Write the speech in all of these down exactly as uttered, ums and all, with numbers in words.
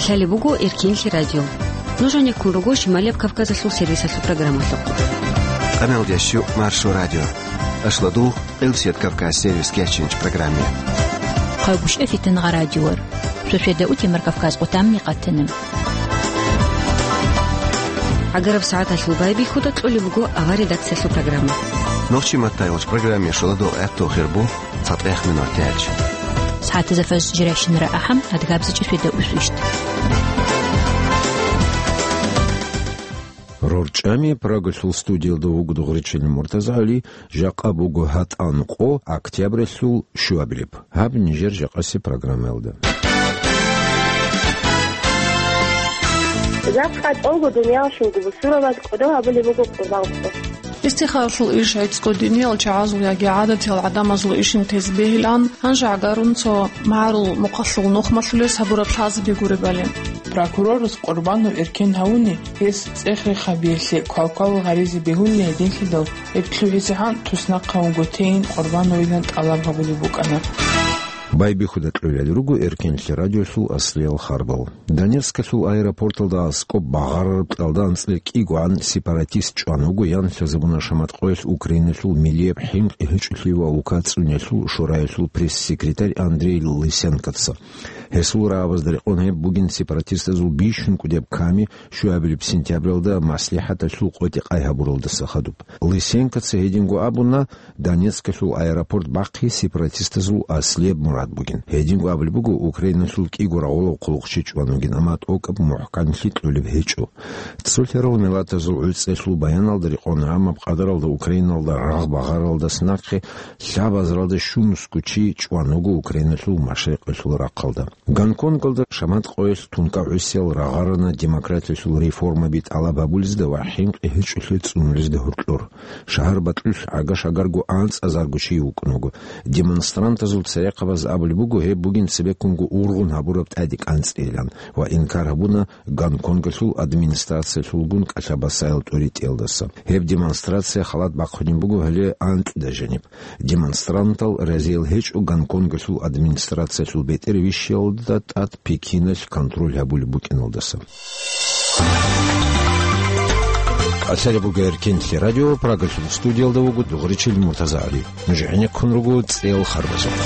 Лъалеб буго Эркенлъи радио. Нуж гьанеккун руго Шималияб Кавказалъул сервисалъул программалъухъ. Къамел дящу Маршо радио. Ашлодул, Элсет Кавказ сервис кечинч программе. Хъайбуш эфитан гъа радиор. Сосведа утемар Кавказ къутамни къатана. ГӀагараб сагӀаталъул байбихьуда кьолеб буго авар редакциялъул программа. Нохчи маттайгъуч программе шоладо гӀатту хирбу. ЦатӀех минут тяч. СагӀатазда фаз жиращинара ахӀам, адгабзичӀеб светда усвищ. РорчӀами Прагалъул студиялда вуго Дугъричилин МуртазагӀали, жакъа буго гьатӀан къо октябралъул щуабилеб. Гьаб нижер жакъаси программаялда. Жакъа тӀолго дуниялалъулго бусурбабаз кӀодо гьабулеб буго къурбан къо. Истихаралъул иш гӀицӀго диниял чагӀазул яги гӀадатиял гӀадамазул ишин тез бегьилан, гьанже гӀагарун цо магӀарул мухъалъул нухмалъулес гьабураб лъазаби гуребали. Прокурорас къурбанав эркен гьавуни, гьес цӀех-рехабиялъе квалквал гъаризе бегьулин гьединлъидал, гьеб лъугӀизегӀан туснахъа вуго тейин къурбан войилан тӀалаб гьабулеб букӀана. Байбихьуда кьолел руго Эркенлъи радиолъул аслиял харбал. Донецкалъул аэропорталда аскӀоб багъарараб кьалда анцӀила кӀигогӀан сепаратист чӀван вуго, ян лъазабуна шаматкъоялъ Украиналъул милияб хӀинкъи гьечӀолъи ва улка цӀуниялъул шораялъул пресс-секретарь Андрей Лысенкоца. Гьесул рагӀабазда рекъон гьеб бугин сепаратистазул бищун кӀудеб ками щуабилеб сентябралда маслихӀаталъул къотӀи-къай гьабуралдаса хадуб. Лысенкоца гьединго абуна, Донецкалъул аэропорт бахъи сепаратистазул аслияб мурад бугин. Гьединго абулеб буго, Украиналъул кӀиго рагъулав хъулухъчи чӀван вугин, амма тӀокӀаб мухӀканлъи кьолеб гьечӀо. Цолъарал миллатазул гӀуцӀиялъул баяналда рекъон, амма къадаралда Украиналда рагъ багъаралдаса нахъе лъабазаралда щунусго чи чӀван вуго Украиналъул машрикъалъул рахъалда. Гонконгалда шаматкъоялъ тункӀа гӀусиял рагъарана демократиялъул реформаби тӀалаб гьабулезда ва хӀинкъи гьечӀолъи цӀунулезда гьоркьор. Шагьар бакьулъ гӀага-шагарго анцӀазарго чи вукӀун вуго. Демонстрантазул церехъабаз абулеб буго, гьеб бугин цебеккунго ургъун гьабураб тӀаде кӀанцӀейилан ва инкар гьабуна Гонконгалъул администрациялъулгун кӀалъа-басаял тӀоритӀиялдаса. Гьеб демонстрация халат бахъунеб буго гьале анкьида жаниб. Демонстрантал разиял гьечӀо Гонконгалъул администрациялъул бетӀер вищиялда тӀад Пекиналъ контроль гьабулеб букӀиналдаса. Лъалеб буго Эркенлъи радио, Прагалъул студиялда вуго Дугъричил МуртазагӀали. Нуж гӀенеккун руго цӀеял харбазухъ.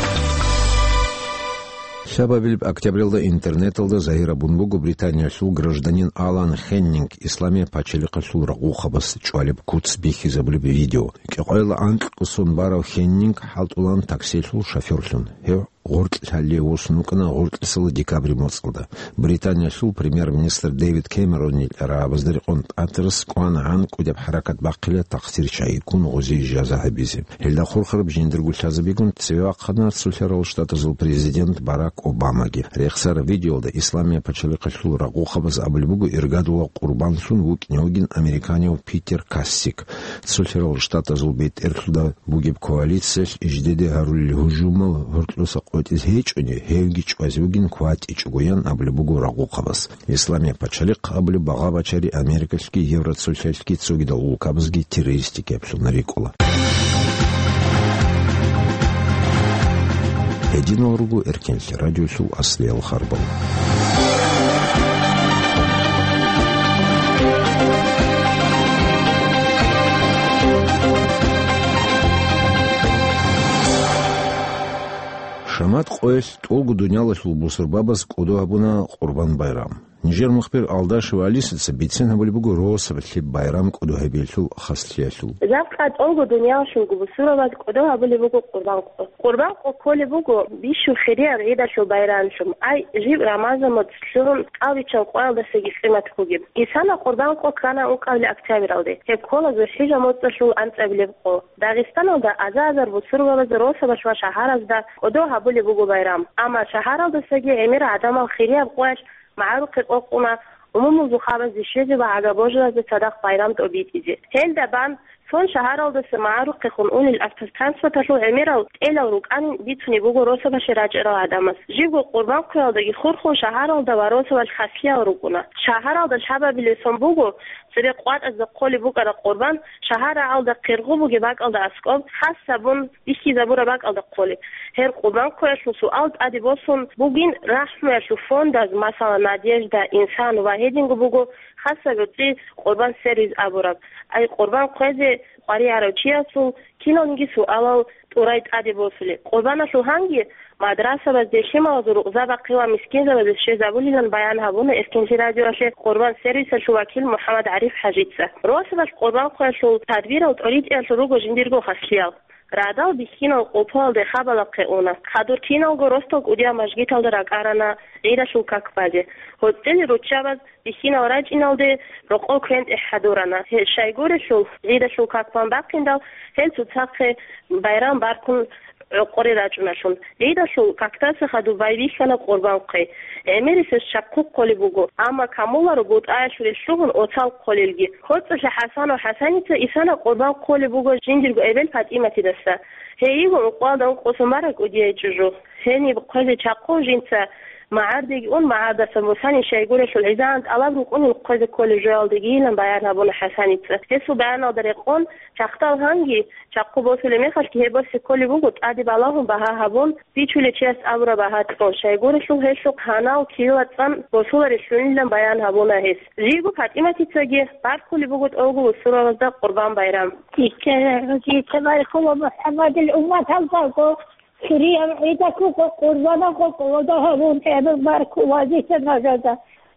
Лъабабилеб октябралда интернеталда загьир гьабун буго Британиялъул гражданин Алан Хеннинг Исламияб пачалихъалъул рагъухъабаз чӀвалеб куц бихьизабулеб видео. Кьекъоялда анкьго сон барав Хеннинг хӀалтӀулаан таксилъул шофёрлъун. Гьев гъоркьлъалде восун вукӀана гъоркьлъисала декабрь моцӀалда. Британиялъул премьер-министр Дэвид Кэмеронил рагӀабазда рекъон Паттерс кӀванагӀан кӀудеб хӀаракат бахъила тахсир чагӀи ккун гъозие жаза гьабизе. Гьелда хурхараб жиндирго лъазабигун цеве вахъана Цолъарал Штатазул президент Барак Обамаги. Рехсараб видеоялда Исламияб пачалихъалъул рагъухъабаз абулеб буго иргадула къурбанлъун вукӀине вугин американияв Питер Кассик. Цолъарал Штатазул бетӀерлъуда бугеб коалициялъ жидеде гьарулел гьужумал гьоркьоса къотӀизе гьечӀони, гьевги чӀвазе вугин кватӀичӀого, ян абулеб буго рагъухъабаз. Исламияб пачалихъ абулеб багъа бачари Америкалъги Евроцолъалъги цогидал улкабазги террористикаблъун рикӀкӀула. Гьединал руго Эркенлъи радиолъул аслиял харбал. Шамат къоялъ тӀолго дуниялалъул бусурбабаз кӀодо гьабуна Къурбан байрам. Нижер мухбир Алдашева Алисаца бицен гьабулеб буго росаб лъеб байрам кӀодо гьабиялъул хаслъиялъул. Жакъа тӀолго дуниялалъулго бусурбабаз кӀодо гьабулеб буго Къурбан къо. Къурбан къо кколеб буго бищун хирияб гӀидалъул байрамлъун, ай, жиб Рамазан моцӀ лъугьун, кӀалбиччан къоялдасаги къимат бугеб. Исана Къурбан къо ккана ункъабилеб октябралде. Гьеб ккола ЗулхӀижа моцӀалъул анцӀабилеб къо. Дагъистаналда аза-азар бусурбабаз росабалъ ва шагьаразда кӀодо гьабулеб буго байрам. Амма шагьаралдасаги гӀемер гӀадамал хирияб къоялъ магӀарухъе къокъуна, умумул зухъабазде щвезе ва гӀага-божаразда цадахъ байрам тӀобитӀизе. Гьелда бан Цон шагьаралдаса магӀарухъехун унел автотранспорталъул гӀемерал тӀелал рукӀанин бицунеб буго росабалъе рачӀарал гӀадамаз. Жибго къурбан хъвеялдаги хурхун шагьаралда ва росабалъ хаслъиял рукӀуна. Шагьаралда лъабабилеб сон буго, цебе къватӀазда хъолеб букӀараб къурбан шагьар рагӀалда къергъу бугеб бакӀалда аскӀоб хас гьабун бихьизабураб бакӀалда хъолеб. Гьеб къурбан хъвеялъул суал тӀаде босун бугин рахӀмуялъул фондаз, масала, Надежда, Инсан ва гьединго буго хасаб гӀуцӀи къурбан сервис абураб. Ай къурбан хъвезе къваригӀарав чиясул киналниги суалал тӀурай тӀаде босулеб. Къурбаналъул гьанги мадрасабазде, лъималазул рукъзабахъе ва мискинзабазде щвезабулилан баян гьабуна Эркенлъи радиоялъе къурбан сервисалъул вакил МухӀаммад ГӀариф ХӀажица. Росабалъ къурбан хъвеялъул тадбирал тӀоритӀиялъул руго жиндирго хаслъиял. Радал бихьинал къолпуялде хабалахъе уна. Хадур киналго росдал кӀудияв мажгиталда ракӀарана гӀидалъул как базе. ГьоцӀили руччабаз бихьинал рачӀиналде рокъов квен-тӀехӀ хӀадурана. Гье, щайгурелъул, гӀидалъул как бан бахъиндал, гьел цоцахъе байрам баркун гӀокъоре рачӀуналъун. ГӀидалъул какдаса хадуб байбихьана къурбан хъвей. ГӀемерисез чахъу хъолеб буго, амма камуларо бутӀаялъулел лъугьун оцал хъолелги. ГьоцӀалъа ХӀасану ХӀасаница исана къурбан хъолеб буго жиндирго эбел ПатӀиматидаса. Гьей йиго ункъоялда ункъо сумара кӀудияй чӀужу. Гьениб хъвезе чахъу жинца магӀардеги ун, магӀардасан бусани щайгурелъул гӀизагӀан тӀалаб рукӀунел хъвезе кколеб жоялдегийилан баян гьабуна ХӀасаница. Гьесул баяналда рекъон, чахъдал гьанги, чахъу босулеб мехалъги гьеб босе кколеб буго, тӀаде балагьун багьа гьабун, бичулев чияс абураб багьа кьун, щайгурелъул гьелъухъ гьанал килла цӀан босуларелъунилан баян гьабуна гьес. Жиго ПатӀиматицаги баркулеб буго тӀолго вуссуралазда Къурбан байрам. Дица, дица баркула МухӀаммадил умматалдаго, Суриял гӀидалъухъ къурбанал къокъолда гьабун, гьеб баркула дица нажада.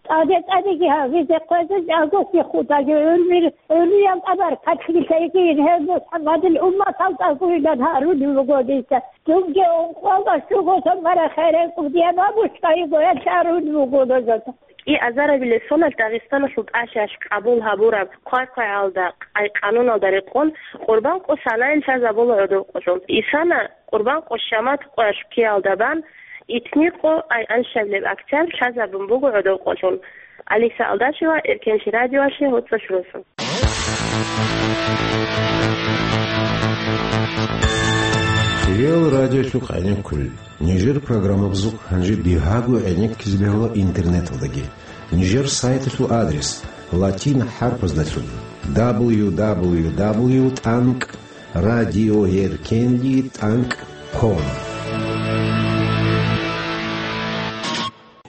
ТӀаде-тӀадеги гьабизе хъвезе жагоси худаги гӀурмир, гӀурмиял тӀабар катлъилъайги гьеб МухӀаммадил умматалда гуйлан гьарулев вуго дица. Дунги ункъоялда щуго сумара херен кӀудиян ва бушкайи гоялъ гьарулев вуго нажада. КӀи азарабилеб соналъ Дагъистаналъул тӀалъиялъ къабул гьабураб хъвай-хъвайгӀалда, къай-къануналда рекъон, къурбан къо санаялъ лъазабула гӀодов къолъун. Исана къурбан къо Шамат къоялъ ккеялда бан, итни къо, ай аншабилеб октябрь лъазабун буго гӀодов къолъун. Алиса Алдашева, Эркенлъи радиоялъе, ГьоцӀалъ росу. Кирил радиолъухъ гӀенеккулел. Нижер программабазухъ гьанже бигьаго гӀенеккизе бегьула интернеталдаги. Нижер сайталъул адрес латин хӀарпаздалъун: дабл ю дабл ю дабл ю тӀанкӀ радиоэркенли тӀанкӀ ком.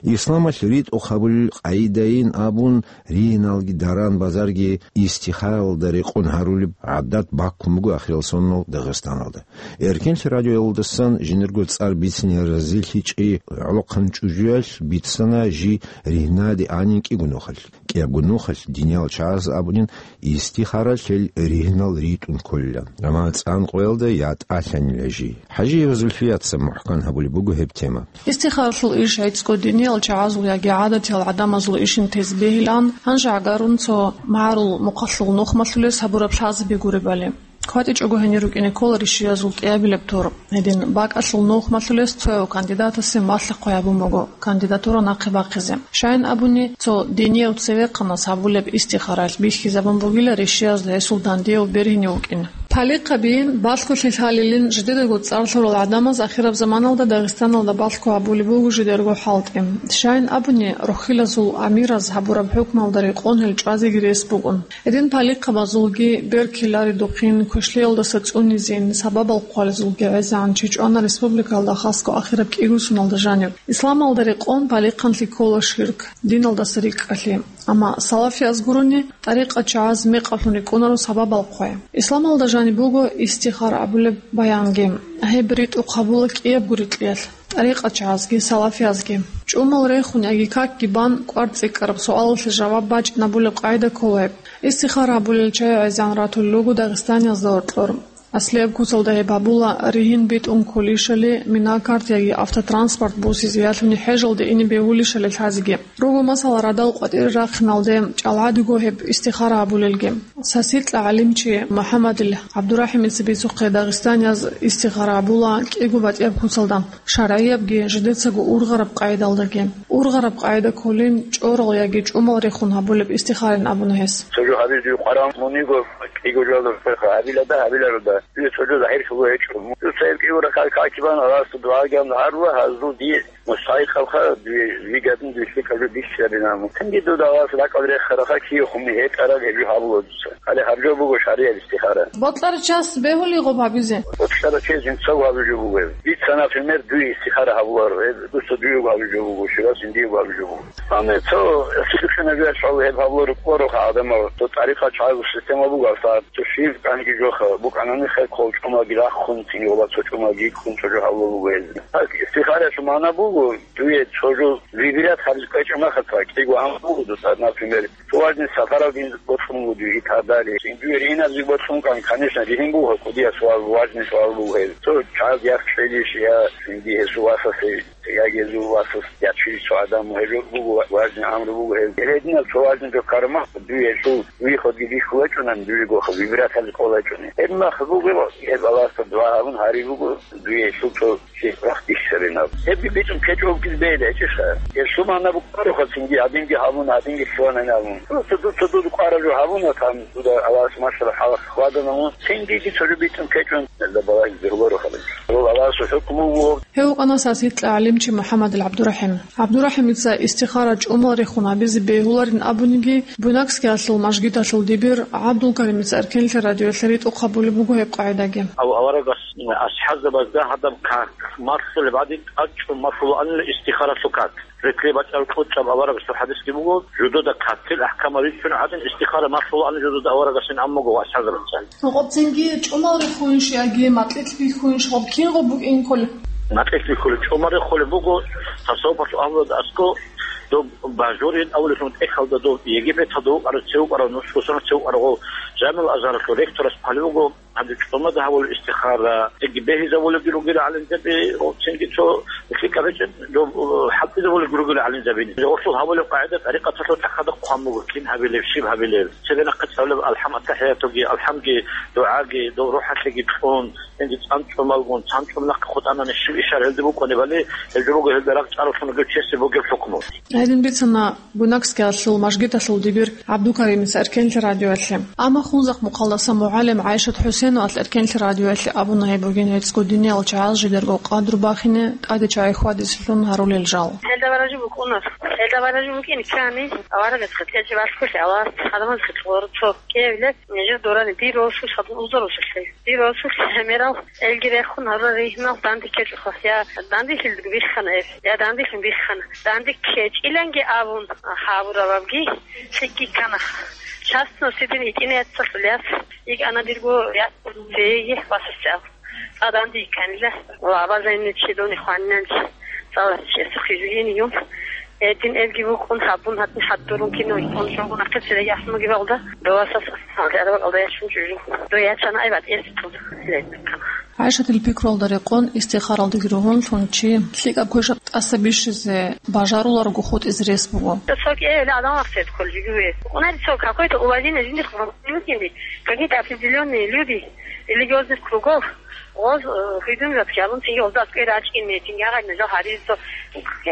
Исламалъ ритӀухъ гьабулел къагӀидайин абун, ригьиналги даран-базарги истихаралда рекъон гьарулеб гӀадат баккун буго ахирал соналъ Дагъистаналда. Эркенлъи радиоялдасан жинерго цӀар бицине разилъичӀей гӀолохъан чӀужуялъ бицана жий ригьнаде анин кӀиго нухалъ. КӀиябго нухалъ диниял чагӀаз абунин, истихаралъ гьел ригьнал ритӀун кколила. Амма цӀан къоялда ятӀалъанила жий. ХӀажиева Зульфияца мухӀкан гьабулеб буго гьеб тема. Истихаралъул иш гӀицӀго диниял чагӀазул яги гӀадатиял гӀадамазул ишин тезе бегьилан, гьанже гӀагарун цо магӀарул мухъалъул нухмалъулес гьабураб лъазаби гуребали. КватӀичӀого гьенир рукӀине ккола ришиязул кӀиабилеб тур. Гьедин бакӀалъул нухмалъулес цояв кандидатасе малъа-хъвай гьабун буго кандидатура нахъе бахъизе. Щайин абуни, цо динияв цевехъанас гьабулеб истихаралъ бихьизабун бугила ришиязда гьесул дандияв бергьинев вукӀин. Палихъабиин, балъголъи лъалилин жидедаго цӀар лъурал гӀадамаз ахираб заманалда Дагъистаналда балъго гьабулеб буго жидерго хӀалтӀи. Щайин абуни, рохьилазул амираз гьабураб хӀукмалда рекъон гьел чӀвазеги рес бугун. Гьедин палихъабазулги, берк лъиларидухъин, квешлъиялдаса цӀунизин, сабабал хъвалезулги гӀезегӀан чи чӀвана республикалда хасго ахираб кӀиго соналда жаниб. Исламалда рекъон палихъанлъи ккола ширк, диналдаса рикӀкӀалъи. Амма салафияз гурони, тӀарикъат чагӀаз мекъалъун рикӀкӀунаро сабабал хъвай. Исламалда жаниб буго истихара абулеб баянги. Гьеб ритӀухъ гьабула кӀиябго рикьиялъ, тӀарикъат чагӀазги салафиязги. ЧӀумал рехун яги какги бан кӀвар цӀикӀкӀараб суалалъе жаваб бачӀинабулеб къагӀида ккола гьеб. Истихара гьабулел чагӀи гӀезегӀан ратулел руго Дагъистаниязда гьоркьор. Аслияб куцалда гьеб гьабула, ригьин битӀун кколищали, мина-карт яги автотранспорт босизе ялъуни хӀежалде ине бегьулищали лъазеги. Руго, масала, радал къватӀире рахъиналде чӀалгӀадиго гьеб истихара гьабулелги. Сасикьа гӀалимчи МухӀаммадил ГӀабдурахӀимица бицухъе Дагъистанияз истихара гьабула кӀиго батӀияб куцалда, шаргӀиябги жидецаго ургъараб къагӀидалдаги. Ургъараб къагӀида кколин чӀорал яги чӀумал рехун гьабулеб истихарин абуна гьес. Цо жо гьабизе къваран мун йиго, Диго жо гьабилада, гьабиларуда. Дуе цо жо загьирлъулго гьечӀо. Дуца гьеб кӀиго ракагӀат какибан, Аллагьасда дугӀа гьабун гьарула, гьазул дие мустахӀикъабха, дуе вигадин дуе лъикӀаб жо бихьизабина. Мухъинги дуда Аллагьас ракӀалде рехарабха, киехун гьетӀараб гьеб жо гьабула дуца. Гьале гьаб жо буго шаригӀат истихара. Бокьарав час бегьулей гъоб гьабизе? Бокьарав чияс жинцаго гьабулеб жо буго гьеб. Дица, например, дуе истихара гьабуларо, гьеб дуца дуего гьабулеб жо буго, щивас жиндиего гьабулеб жо буго. Амма цо сихӀкинабиялъул гьеб гьабуларо кколаха гӀадамал, цо тӀарикъа чагӀазул система буго, гьасда цо щиб кӀанги жоха, букӀанани хӀал ккол чӀумаги рахун, цинги гъоба цо чӀумаги ккун цо жо гьабулеб буго гьез. Гьеб истихараялъул магӀна буго, дуе цо жо выбирать гьабизе кӀвечӀеб мехалъ, кӀиго гьаб буго дуца, например, цо важный сапаралги бокьун буго дуе и так далее. Дуе ригьинабизе бокьун ккани, конечно, ригьин буго, кӀудияб суал, важный суал буго гьеб. Цо чагӀаз яхъ кьелищ я цинги гьесул васасе, яги гьезул васас ячилищ цо гӀадамал, гьеб жо буго важный амру буго гьеб. Гьединаб цо важный жо ккараб мехалъ, дуе гьесул вихӀудги бихьулечӀунани, дуего выбирать гьабизе кӀолайчӀуни. Гьеб мехалъ буго, гьеб Аллагьасда дугӀа гьабун гьари буго, дуе гьесул цо Щиб рахъ бихьизабинаб? Гьебги битӀун ккечӀого бегьулеб гьечӀищха? Гьеб лъуманаб букӀароха цинги, гьадинги гьабуна, гьадинги лъугьанани абун. Просто дуца дуда къвараб жо гьабуна, там дуда Аллагьас машгьараб хӀалалъ хьвадана мун. Цинги дица жо битӀун ккечӀун, гьелда балагьизе гьуроха. Гьел Аллагьасул хӀукму вуго. Гьев вукӀана сасихъ гӀалимчи МухӀаммадил ГӀабдурахӀим. ГӀабдурахӀимица истихара чӀумал рехун гьабизе бегьуларин абуниги, Буйнакскиялъул мажгиталъул дибир ГӀабдулкаримица Эркенлъи радиоялъе ритӀухъ гьабулеб буго гьеб къагӀидаги. Гьав аварагас АсхӀабзабазда гьадаб как малъулеб гӀадин, тӀадчӀун малъула анила истихаралъул как. Рекълъи бачӀараб кьучӀаб аварагасул хӀадисги буго, жудуда катил ахӀкамал ричун гӀадин, истихара малъула анила жудуда аварагасин аммаго ва асхӀабзабаца. Гъоб цинги чӀумал рехуйищ яги макьилъ бихьуйищ, гъоб кинго букӀин кколеб? Макьилъ бихьулеб, чӀумал рехулеб буго, тасаввуфалъул агьлуялда аскӀо, доб Бажурин авлалъун тӀехьалда доб Египеталда вукӀарав, цев вукӀарав, нусгосана цев вукӀарав, Жамил Азгьаралъул ректорас хъвалеб буго, Гьанже чӀумада гьабулеб истихара, цинги бегьизабулебги ругел гӀалимзаби, цинги цо лъикӀаб гьечӀеб, доб, э, хӀалтӀизабулебги ругел гӀалимзабини. Гъорлъул гьабулеб къагӀида тӀарикъаталъул тӀахьазда хъван буго, кин гьабилеб, щиб гьабилеб. Цебе нахъе цӀалулеб алхӀам, аттахӀиятуги, алхӀамги, дугӀаги, доб рухӀалъиги кьун, цинги цӀан чӀумалгун, цан чӀумнахъе хутӀанани щиб ишар гьелде букӀунебали, гьеб жо буго гьелда рагъ чӀарулъун вугев чиясе бугеб хӀукму. Гьедин бицана Буйнакскиялъул мажгиталъул дибир ГӀабдулкаримица Эркенлъи радиоялъе. Амма хунзахъ мухъалдаса мугӀалим ГӀайшат ХӀусеновалъ Эркенлъи радиоялъе абуна гьеб бугин гьецӀго диниялчагӀаз жидерго къадру бахине тӀаде чагӀи хьвадизе лъун гьарулел жал. Гьелда баражу букӀуна. Гьелда баражу букӀин ккани, аварагасухъе тӀезе балъголъи, Аллагьас гьадамазухъе цо кӀиявилеб, нижер дорани дир росулъ гьадин уза росулъе. Дир росулъ гӀемерал элги рехун гьарурал ригьнал данде ккечӀоха, я дандилъилги биххана эб, я дандилъун биххана. Данде ккечӀиланги абун гьабурабабги лъикӀги ккана. Частно сидин гьитӀинай яцалъул яс йикӀана дирго яцалъул цееги васасде абун. ЦӀа данде йикӀанила ва абазайинни чи дони хванинанчи цӀаларчиясухъе жугьиниюм. Гьедин эбги букӀун гьабун, гьатӀи хӀадурун кино икӀун жугьун ахъе цереги ахӀмуги балда, довасас гьалде араб кӀалда яшун чӀужу. До ячана ай батӀиялъе тун. ГӀайшатил пикруялда рекъон истихаралдеги ругьунлъун чи лъикӀаб квешаб тӀаса бищизе бажаруларого хутӀизе рес буго. Цо кӀиявила адам вахъсед кколжиги ве. Унали цо какой-то уважение жиндихъ вукӀинди, какие-то определённые люди религиозных кругов, гъоз, э, гьуидунзаб жабун цинги гъозда аскӀой рачӀин метинги гьагъай мезал гьаризо.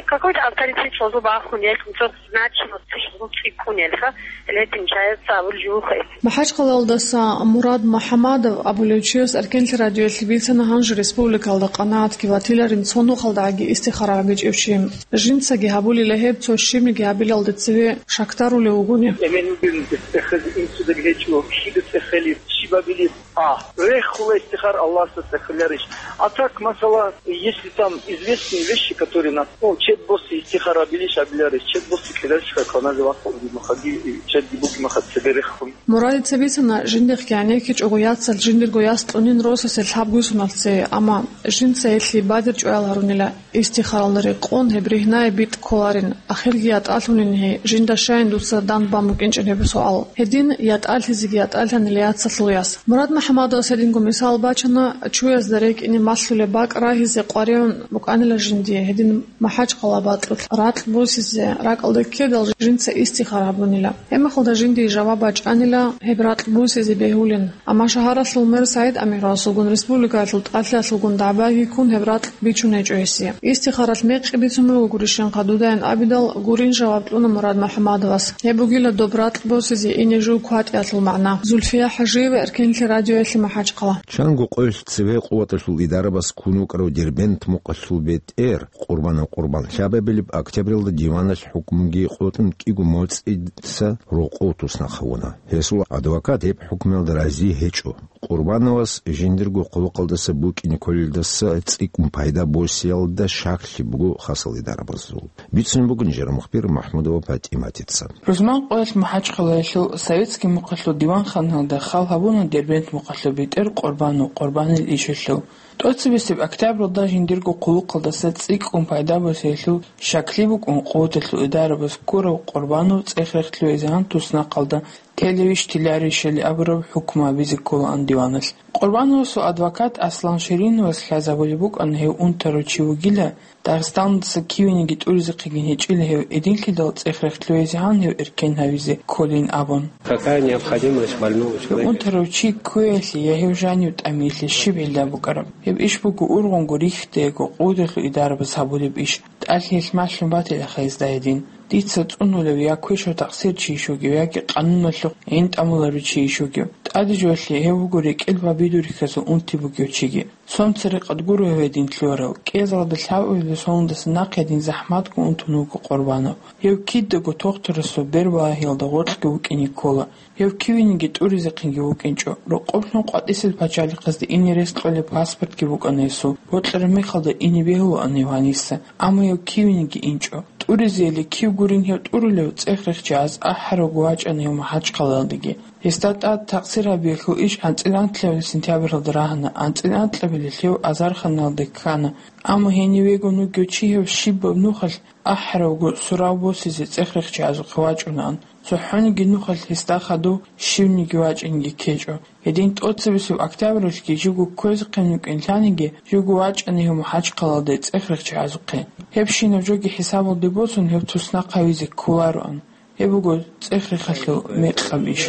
Какой-то авторитет гъозу бахун, яхун цо значимость гъозу цӀиккун, элха, летин чаяц абул жугьухъе. МахӀачхъалаялдаса Мурад МухӀамадов абулев чияс Эркенлъи радиоялъе бицана гьанже республикалда къанагӀатги ватиларин цо нухалдагӀаги истихара гьабичӀев чи. Жинцаги гьабулила гьеб цо щибниги гьабилалде цеве шакдарулев вугони. Эмен вугин цӀехезе инсуда гьечӀо, кида цӀехелеб, щиб абилеб? А, рехула истихар Аллагьасда цӀехеларищ? А так, масала, если там известные вещи, которые на, ну, чед босси истихар абилищ абиларищ, чед босси кьедарищ, как она же вахъун, махаги, чедги буги маха цебе рехун. Мурадица бицана, жиндихъ гӀенеккичӀого яцалъ жиндирго яс кьунин росасе лъабгуй соналъ цее, амма жинца гьелъие бадир чӀваял гьарунила. Истихаралда рекъон гьеб ригьнае битӀ кколарин, ахирги ятӀалъунин гьей, жинда щайин дуца дандбан букӀинчӀеб гьеб суал. Гьедин ятӀалъизеги ятӀалъанила яцалъул яс. Мурад МухӀамадовас гьединго мисал бачана, чуязда рекӀине Алъулеб бакӀ рагьизе къваригӀун букӀанила жиндие, гьедин МахӀачхъала бакьулъ ракь босизе ракӀалда ккедал жинца истихара гьабунила. Гьебмехалда жиндие жаваб бачӀанила гьеб ракь босизе бегьулин. Амма шагьаралъул мэр СагӀид Амировасулгун республикаялъул тӀалъиялъулгун дагӀбаги ккун гьеб ракь бичун гьечӀо гьесие. Истихаралъ мекъи бицун буго гурищинха дудайин абидал, гурин жаваб кьуна Мурад МухӀаммадовас. Гьеб бугила доб ракь босизе ине жив кватӀиялъул магӀна. Зульфия ХӀажиева, Эркенлъи радиоялъе, МахӀачхъала. Чанго къоялъ цеве къуваталъул идарабаз ккун вукӀарав Дербент мукъалъул бетӀер Къурбанов Къурбан лъабабилеб октябралда диваналъ хӀукмуги къотӀун кӀиго моцӀица рокъов туснахъ гьавуна. Гьесул адвокат гьеб хӀукмуялда рази гьечӀо. Къурбановас жиндирго хъулухъалдаса букӀине кколелдаса цӀикӀкӀун пайда босиялда щаклъи буго хасал идарабазул. Бицунеб буго нижер мухбир МахӀмудова ПатӀиматица. Рузман къоялъ МахӀачхъалаялъул советский мухъалъул диванханалда хал гьабуна Дербент мухъалъул бетӀер Къурбанов Къурбанил ишалъул. ТӀоцебесеб октябралда жиндирго хъулухъалдаса цӀикӀкӀун пайда босиялъул щаклъи букӀун, къуваталъул идарабаз ккурав Къурбанов цӀех-рех лъугӀизегӀан туснахъалда телевищ-теларищали абураб хӀукму гьабизе кколаан диваналъ. Къурбановасул адвокат Аслан Шириновас лъазабулеб букӀана гьев унтарав чи вугила, Дагъистаналдаса кивениги тӀуризехъегин гьечӀила гьев, гьединлъидал цӀех-рех лъугӀизегӀан гьев эркен гьавизе кколин абун. Какая необходимость больного человека? Унтарав чи кквеялъе я гьев жанив тӀамиялъе щиб гӀилла букӀараб? Гьеб иш буго ургъунго рихьдего къуваталъул идарабаз гьабулеб иш. ТӀалъиялъ малъун батилаха гьезда гьедин. Дица цӀунулев я квешав такъсирчийищ вугев, яги къануналъухъ гӀинтӀамуларев чийищ вугев. ТӀаде жоялъе гьев вуго рекӀел ва бидурихьазул унти бугев чиги. Цо церекъад гуро гьев гьедин лъугьарав. КӀиязалда лъабабилеб соналдаса нахъе гьедин захӀматго унтун вуго Къурбанов. Гьев кидаго тохтурасул бербалагьиялда гъоркьги вукӀине ккола. Гьев кивениги тӀуризехъинги вукӀинчӀо. Рокъоб лъун къватӀисел пачалихъазде ине рес кьолеб паспортги букӀана гьесул. Бокьараб мехалда ине бегьулаан гьев гьаниса. Амма гьев кивениги инчӀо. ТӀуризейилан кив гурин гьев тӀурулев, цӀех-рехчагӀаз ахӀаравго вачӀана гьев МахӀачхъалаялдеги. Гьесда тӀад такъсир гьабиялъул иш анцӀила анлъабилеб сентябралда рагьана, анцӀила анкьабилелъ гьев азарханалде ккана. Амма гьенивего вугев чи гьев щибаб нухалъ ахӀаравго сурав босизе цӀех-рехчагӀазухъе вачӀунаан. ЦохӀониги нухалъ гьесда хадув щивниги вачӀинги ккечӀо. Гьедин тӀоцебесеб октябралъги живго кквезехъин вукӀин лъаниги, живго вачӀана гьев МахӀачхъалаялде цӀех-рехчагӀазухъе. Гьебщинаб жоги хӀисабалде босун, гьев туснахъ гьавизе кколароан. Гьеб буго цӀех-рехалъул мекъаб иш.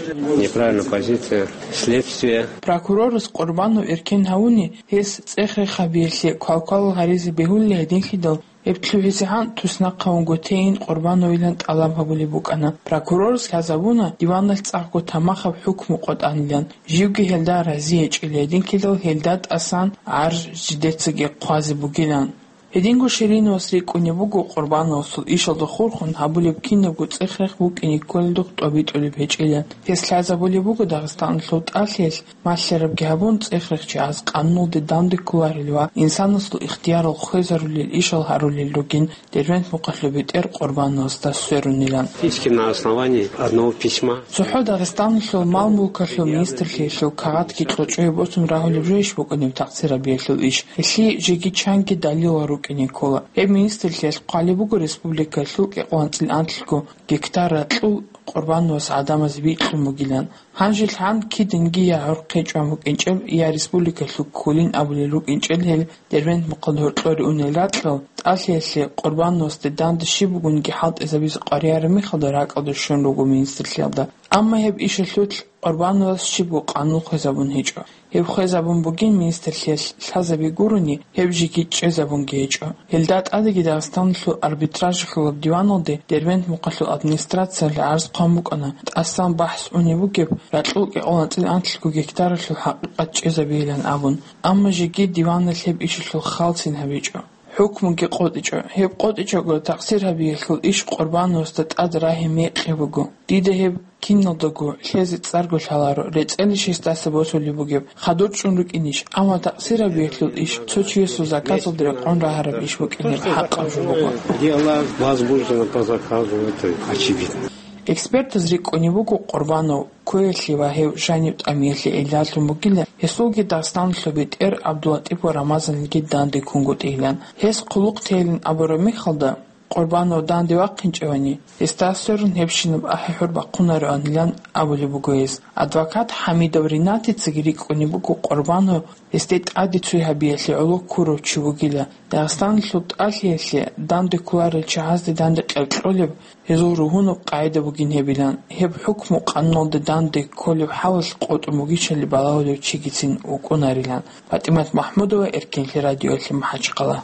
Неправильная позиция следствия. Прокурорас Къурбанов эркен гьавуни, гьес цӀех-рех гьабиялъе квалквалал гьаризе бегьулила гьединлъидал, гьеб лъугӀизегӀан туснахъ гьавунго тейин Къурбановилан тӀалаб гьабулеб букӀана. Прокурорас лъазабуна диваналъ цӀакъго тамахаб хӀукму къотӀанилан, живги гьелда рази гьечӀила гьединлъидал гьелда тӀасан гӀарз жидецаги хъвазе бугилан. Гьединго Шириновас рикӀкӀунеб буго Къурбановасул ишалда хурхун гьабулеб кинабго цӀех-рех букӀине кколелдухъ тӀобитӀулеб гьечӀилан. Гьес лъазабулеб буго Дагъистаналъул тӀалъиялъ малъарабги гьабун, цӀех-рехчагӀаз къануналде данде кколарел ва инсанасул ихтиярал хвезарулел ишал гьарулел ругин Дербент мухъалъул бетӀер Къурбановасда сверунилан. Фактически на основании одного письма. ЦохӀо Дагъистаналъул мал-мулкалъул министрлъиялъул кагъатги кьочӀое босун рагьулеб жойищ букӀунеб такъсир гьабиялъул иш? Гьелъие жеги чанги далилал рукӀине ккола. Гьеб министрлъиялъ хъвалеб буго республикалъул кӀикъоялда анцӀила анлъго гектар ракьул Къурбановас гӀадамазе бикьун бугилан. Гьанжелъ гьан киданги я гӀорхъе чӀван букӀинчӀеб, я республикалъул кколин абулел рукӀинчӀел гьел Дербент мухъалда гьоркьоре унел ракьал, тӀалъиялъе Къурбановасде данде щиб бугониги хӀалтӀизабизе къваригӀараб мехалда ракӀалде щун руго министрлъиялда. Амма гьеб ишалъулъ Къурбановас щибго къанун хвезабун гьечӀо. Гьеб хвезабун бугин министрлъиялъ лъазаби гурони, гьеб жеги чӀезабунги гьечӀо. Гьелда тӀадеги Дагъистаналъул арбитражалъулаб диваналде Дербент мухъалъул администрациялъ гӀарз хъван букӀана, тӀасан бахӀс унеб бугеб, ракьул кӀикъоялда анцӀила анлъго гектаралъул хӀакъикъат чӀезабейилан абун. Амма жеги диваналъ гьеб ишалъул халцин гьабичӀо. ХӀукмуги къотӀичӀо. Гьеб къотӀичӀого такъсир гьабиялъул иш Къурбановасда тӀад рагьи мекъи буго. Дида гьеб киналдаго лъезе цӀарго лъаларо, рецӀелищ гьесдаса босулеб бугеб, хадур чӀун рукӀинищ, амма такъсир гьабиялъул иш цо чиясул заказалда рекъон рагьараб иш букӀинеб хӀакъаб жо буго. Где она возбуждена по заказу, это очевидно. Экспертаз рикӀкӀунеб буго Къурбанов кквеялъе ва гьев жанив тӀамиялъе гӀиллалъун бугилан, гьесулги Дагъистаналъул бетӀер ГӀабдуллатӀипов Рамазанилги данде ккунгутӀилан. Гьес хъулухъ тейилан абураб мехалда, Къурбанов данде вахъинчӀевани, гьесда сверун гьебщинаб ахӀи-хӀур бахъунароанилан абулеб буго гьес. Адвокат ХӀамидов Ринатицаги рикӀкӀунеб буго Къурбанов гьесде тӀаде цой гьабиялъе гӀоло ккурав чи вугила. Дагъистаналъул тӀалъиялъе данде кколарел чагӀазде данде къеркьолеб гьезул ругьунаб къагӀида бугин гьебилан, гьеб хӀукму къануналда данде кколеб хӀалалъ къотӀун бугищали балагьулев чигицин вукӀунарилан. ПатӀимат МахӀмудова, Эркенлъи радиоялъе, МахӀачхъала.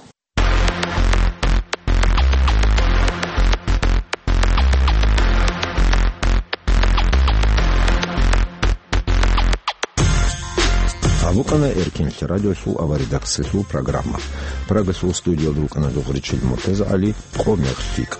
Гьабукъана Эркенлъи радиолъул аваредакциялъул программа. Прагалъул студиялда рукӀана Дугъричил МуртазагӀали. Къо мегъ лъикӀ.